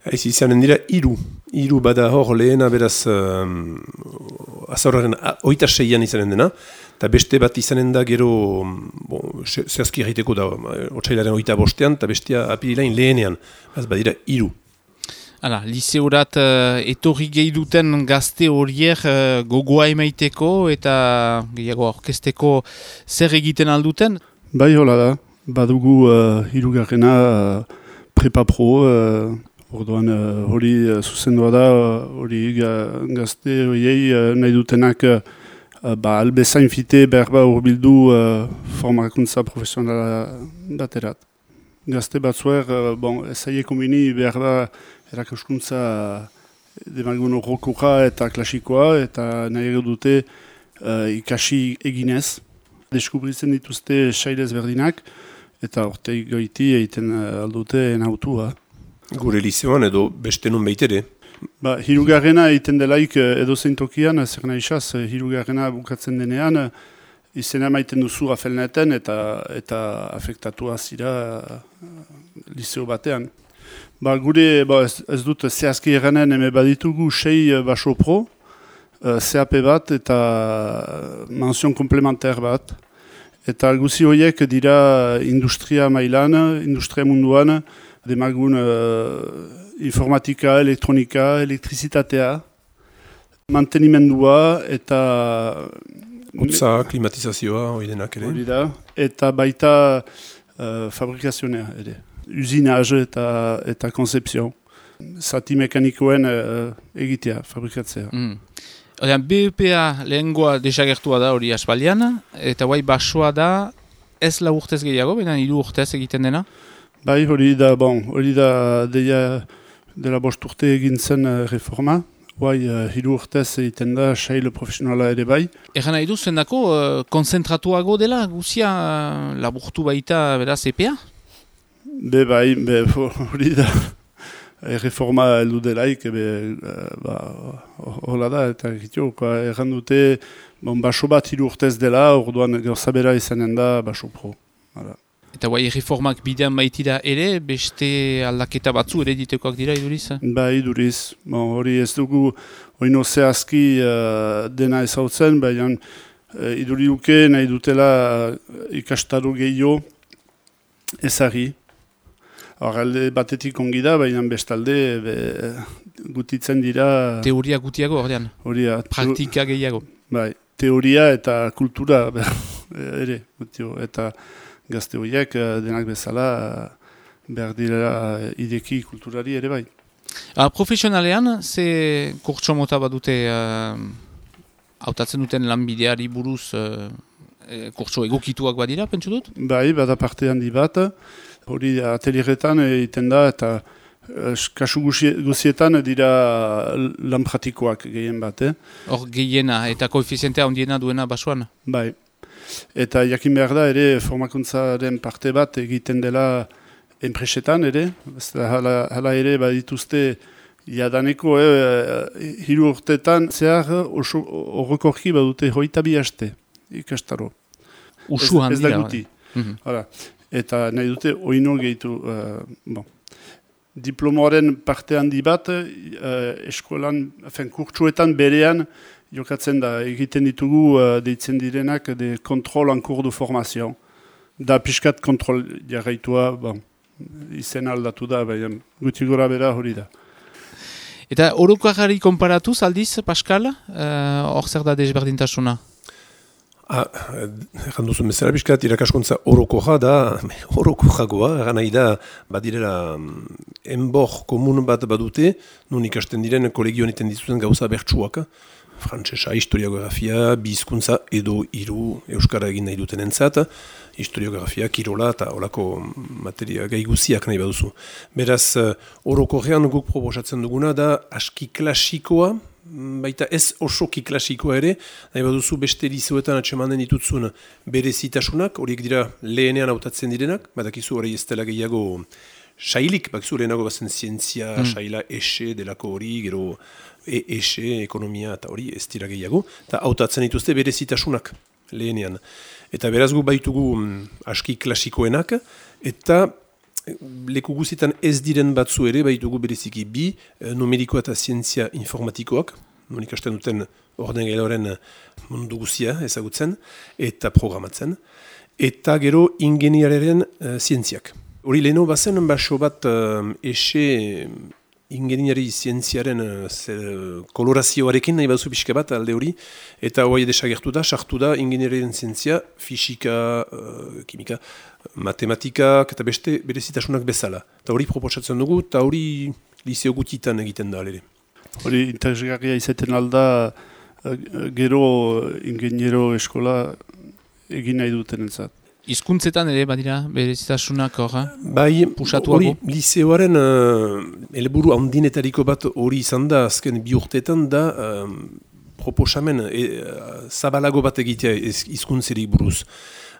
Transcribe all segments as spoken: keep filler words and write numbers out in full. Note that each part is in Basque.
Ez izanen dira hiru. Hiru bada hor lehena beraz um, azauraren oita seian izanen dena, eta beste bat izanen da gero bon, zehazki egiteko da otsailaren oita bostean, eta bestea apirilain lehenean. Ez badira hiru. Hala, liseurat uh, etorri gehi duten gazte horiek uh, gogoa emaiteko eta gehiago orkesteko zer egiten alduten? Bai hola da, badugu uh, hirugarrena uh, prepa pro, uh, orduan uh, hori uh, zuzendua da, hori uh, gazte horiei uh, nahi dutenak uh, ba, albezain fite berba urbildu uh, formakuntza profesionala baterat. Gazte batzuer, uh, bon, ezaieko mini behar da erakaskuntza demagun horrokoa eta klasikoa eta nahi dute uh, ikasi eginez. Deskubritzen dituzte sailez berdinak eta orteik goiti egiten uh, aldute enautua. Gure liseoan edo beste nun baitere? Ba, hirugarrena egiten delaik edo zein tokian, zer nahi xaz, hirugarrena bukatzen denean, izena maiten duzu afelneten eta, eta afektatua zira uh, liseo batean. Ba, gure, ba, ez, ez dut zehazki eranen eme baditugu sei baso pro, uh, C A P bat eta menzion komplementer bat. Eta guzi horiek dira industria mailan, industria munduan, demagun uh, informatika, elektronika, elektrizitatea, mantenimendua eta... Hotza, klimatizazioa, hori denak ere. Hori da, eta baita uh, fabrikazionea ere. Usinage eta, eta konzepzio. Zati mekanikoen uh, egitea, fabrikatzea. Mm. Odean, B E P A lehengoa desagertua da hori aspaldian, eta guai basoa da ez la urtez gehiago, baina hiru urtez egiten dena? Bai, hori da, bon, hori da deia dela bost urte egin zen uh, reforma. Guai, uh, hiru urtez egiten da sail profesionala ere bai. Egan nahi du, zendako, uh, konzentratuago dela, guzia uh, laburtu baita beraz E P A? Be bai, be hori da, reforma heldu delaik, be, ba, hola da, eta egitio, erran dute, bon, baso bat hiru urtez dela, orduan gauzabera izanen da baso pro. Hala. Eta guai, reformak bidean baitira ere, beste aldaketa batzu ere ditekoak dira iduriz? Ba, iduriz. Bon, hori ez dugu, oino zehazki uh, dena ezautzen, baina uh, iduri duke nahi dutela uh, ikastaro gehiago ezari. Horralde batetik ongi da, baina bestalde be, gutitzen dira... Teoria gutiago, ordean? Horia. Praktika gehiago? Bai, teoria eta kultura ere, gutio, eta gazte horiek denak bezala behar dira ideki kulturari ere bai. A, profesionalean, ze kurtso mota badute uh, hautatzen duten lanbideari buruz uh, kurtso egokituak badira, pentsu dut? Bai, bada parte handi bat. Hori atelieretan egiten da eta kasu guzietan dira lan pratikoak gehien bat. Hor eh? gehiena eta koefizientea ondiena duena basoan? Bai. Eta jakin behar da ere formakuntzaren parte bat egiten dela enpresetan ere. Hala, hala ere badituzte jadaneko eh, hiru urtetan zehar horrekorki badute hoita bi haste ikastaro. Usu ez, ez da handira. guti. Mm-hmm. Hala. Eta nahi dute oino gehitu. Uh, bon. Diplomoaren parte handi bat uh, eskolan, afen, kurtsuetan berean jokatzen da. Egiten ditugu uh, deitzen direnak de kontrol en cours de formazio. Da pixkat kontrol jarraitua, bon, izen aldatu da, baina guti gora bera hori da. Eta orokarari konparatuz aldiz, Pascal, hor uh, zer da desberdintasuna? Ah, erran duzu bezala bizkat, irakaskuntza orokoja da, orokojagoa, erran nahi da, badirela, enbor komun bat badute, nun ikasten diren kolegioan iten dituzten gauza bertsuak, frantsesa, historiografia, bizkuntza edo hiru euskara egin nahi duten entzat, historiografia, kirola eta olako materia gai guziak nahi baduzu. Beraz, orokorrean guk proposatzen duguna da aski klasikoa, baita ez osoki klasikoa ere, nahi baduzu beste liseoetan atsemanen ditutzun berezitasunak, horiek dira lehenean hautatzen direnak, badakizu hori ez dela gehiago sailik, bakizu lehenago bazen zientzia, mm. saila, ese, delako hori, gero e, ese, ekonomia eta hori ez dira gehiago, eta hautatzen dituzte berezitasunak lehenean. Eta beraz gu baitugu mm, aski klasikoenak, eta leku guzietan ez diren batzu ere, baitugu bereziki bi, numerikoa eta zientzia informatikoak, non ikasten duten ordenagailuaren mundu guzia ezagutzen, eta programatzen, eta gero ingeniariaren uh, zientziak. Hori leheno bazen, baso bat uh, ese ingeniari zientziaren uh, kolorazioarekin nahi baduzu pixka bat alde hori, eta hori desagertu da, sartu da ingeniariaren zientzia, fisika, uh, kimika, matematikak eta beste berezitasunak bezala. Eta hori proposatzen dugu, eta hori liceo gutitan egiten da alere. Hori interesgarria izaten alda, gero ingeniero eskola egin nahi duten entzat. Hizkuntzetan ere badira berezitasunak horra? Bai, Pusatuago? hori liceoaren uh, helburu handinetariko bat hori izan da, azken bi urteetan da um, proposamen e, zabalago bat egitea hizkuntzerik buruz.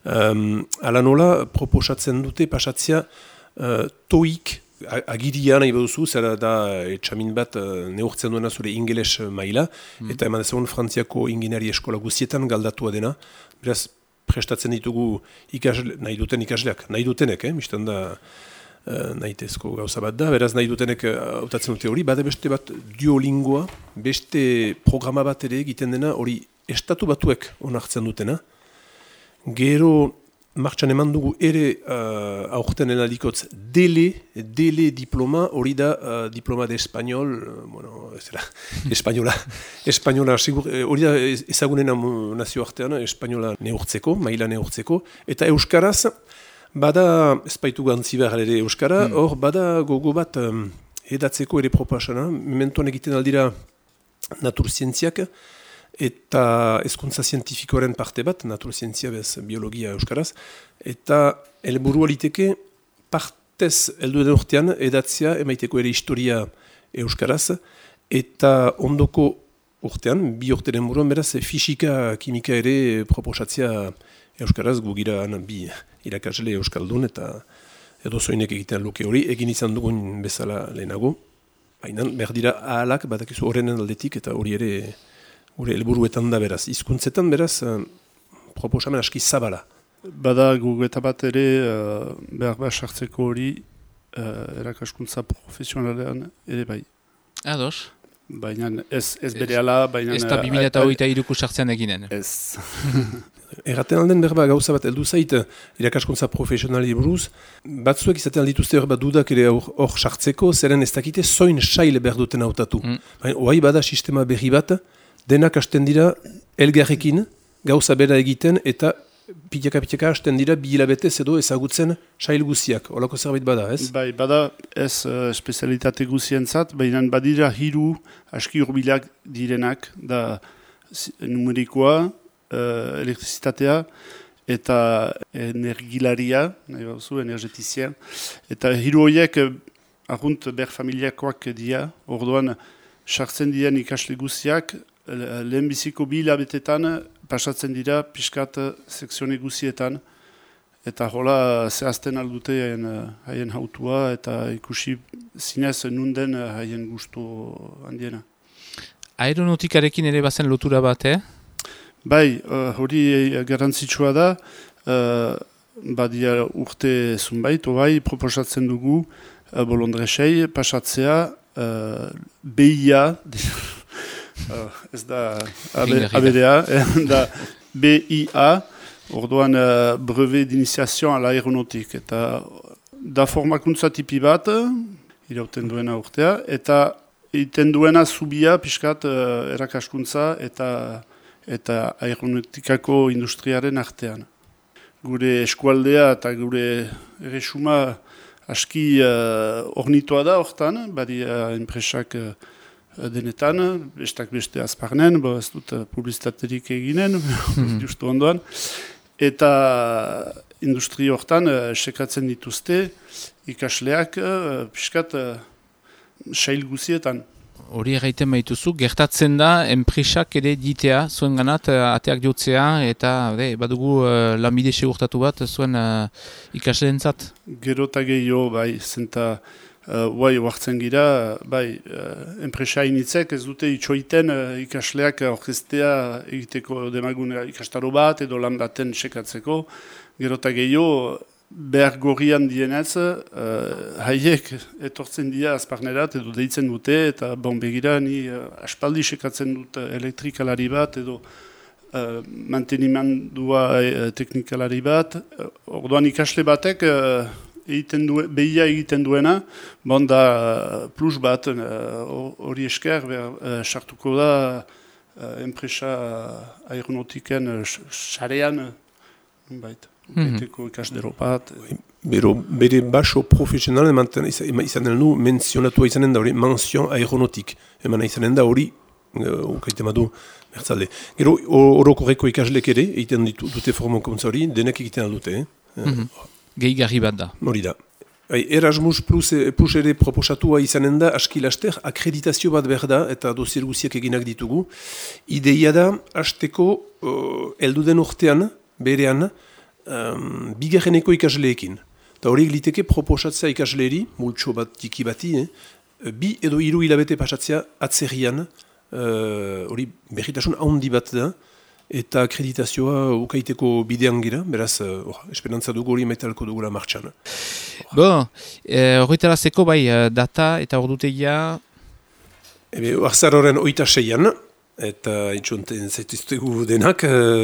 Um, ala nola proposatzen dute pasatzea uh, toik agiria nahi baduzu, zera da etxamin bat uh, neurtzen duena zure ingeles maila, mm. eta eman ezagun Frantziako ingeniari eskola guztietan galdatua dena, beraz prestatzen ditugu ikasle, nahi duten ikasleak, nahi dutenek, eh? Mistan da uh, nahitezko gauza bat da, beraz nahi dutenek hautatzen uh, dute hori, bade beste bat Duolingoa, beste programa bat ere egiten dena, hori estatu batuek onartzen dutena, gero martxan eman dugu ere uh, aurten enalikotz dele, dele diploma, hori da uh, diploma de español, uh, bueno, ez da, española, española, sigur, hori da ezagunena nazio artean, española neurtzeko, maila neurtzeko, eta euskaraz, bada, ez baitu gantzi behar ere euskara, hor, mm. bada gogo bat um, edatzeko ere propasana, mementoan egiten aldira naturzientziak, eta hezkuntza zientifikoaren parte bat, naturzientzia bez biologia euskaraz, eta helburua liteke partez heldu den urtean edatzea emaiteko ere historia euskaraz, eta ondoko urtean, bi urte den buruan beraz, fisika, kimika ere proposatzea euskaraz, gugira bi irakasle euskaldun, eta edo zoinek egiten luke hori, egin izan dugun bezala lehenago, baina behar dira ahalak, badakizu horrenen aldetik, eta hori ere gure helburuetan da beraz, hizkuntzetan beraz, uh, proposamen aski zabala. Bada gugeta bat ere, uh, behar behar sartzeko hori, uh, erakaskuntza profesionalean ere bai. Ados. Baina ez, ez bere ala, baina... Ez da bi mila hogeita hiruko sartzean eginen. Ez. Erraten alden berba gauza bat heldu zait, irakaskuntza profesionali buruz, batzuek izaten aldituzte hor bat dudak ere hor sartzeko, zeren ez dakite zoin sail behar duten hautatu. Mm. Baina, oai bada sistema berri bat, denak hasten dira elgarrekin gauza bera egiten eta pitaka-pitaka hasten dira bi hilabetez edo ezagutzen sail guziak. Olako zerbait bada, ez? Bai, bada ez uh, spezialitate guzientzat, baina badira hiru aski urbilak direnak, da numerikoa, uh, elektrizitatea eta energilaria, nahi bauzu, energetizia. Eta hiru horiek uh, argunt ber familiakoak dira, orduan sartzen diren ikasle guziak, lehenbiziko bi hilabetetan pasatzen dira pixkat sekzione guzietan, eta hola zehazten aldute haien, haien hautua eta ikusi zinez nunden haien gustu handiena. Aeronautikarekin ere bazen lotura bat, eh? Bai, hori uh, garrantzitsua da, uh, badia urte zunbait, oai, proposatzen dugu uh, bolondresei pasatzea uh, B I A, Uh, ez da A B D A, da B I A, orduan uh, brevet d'initiation à l'aéronautique. Eta da formakuntza tipi bat, irauten duena urtea, eta iten duena zubia pixkat uh, erakaskuntza eta, eta aeronautikako industriaren artean. Gure eskualdea eta gure erresuma aski uh, ornitoa da hortan, badi uh, enpresak uh, denetan, bestak beste azparnen, bo ez dut publizitaterik eginen, justu ondoan, eta industri hortan uh, sekatzen dituzte ikasleak uh, piskat uh, sail guzietan. Hori erraiten baituzu, gertatzen da enpresak ere ditea, zuen ganat, ateak jotzea, eta de, badugu uh, lanbide segurtatu bat zuen uh, ikasleentzat. Gero eta gehiago, bai, zenta Uh, bai, oartzen gira, bai, uh, enpresa initzek ez dute itxoiten uh, ikasleak orkestea egiteko demagun ikastaro bat edo lan baten sekatzeko. Gero eta gehiago, behar gorrian dienez, uh, haiek etortzen dira azparnerat edo deitzen dute, eta bon begira ni uh, aspaldi sekatzen dut elektrikalari bat edo uh, mantenimendua uh, teknikalari bat. Uh, orduan ikasle batek uh, egiten du, behia egiten duena, bon da uh, plus bat hori uh, esker sartuko uh, da uh, enpresa uh, aeronautiken sarean uh, baita. Beteko ikasdero bat. Bero, bere baso profesional eman izanen du menzionatua izanen da hori menzion aeronautik. Eman izanen da hori, ukaite madu, mertzalde. Gero, orokorreko ikaslek ere, egiten dute formakuntza hori, denek egiten dute. Eh? Mm-hmm. Gehi garri bat da. Hori da. Erasmus plus, plus ere proposatua izanen da, aski laster, akreditazio bat behar da, eta dosier guziak eginak ditugu. Ideia da, hasteko, uh, elduden urtean, berean, Um, bigarreneko ikasleekin. Eta horiek liteke proposatzea ikasleeri, multxo bat tiki bati, eh? bi edo hiru hilabete pasatzea atzerrian, hori uh, berritasun handi bat da, eta akreditazioa ukaiteko bidean gira, beraz, uh, esperantza dugu hori metalko dugula martxan. Bo, horretarazeko bai, data eta ordutegia? Ebe, arzaroren oita seian, eta itxonten zaituztegu denak,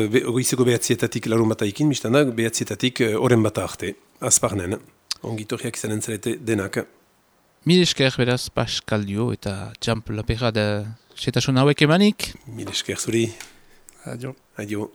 be, goizeko behatzietatik larun bat aikin, biztanak behatzietatik oren bat arte, azparnen, ongitorriak izanen zarete denak. Mil esker beraz Pascal Dio eta Txamp Lapera da setasun hauek emanik. Mil esker zuri. Adio. Adio.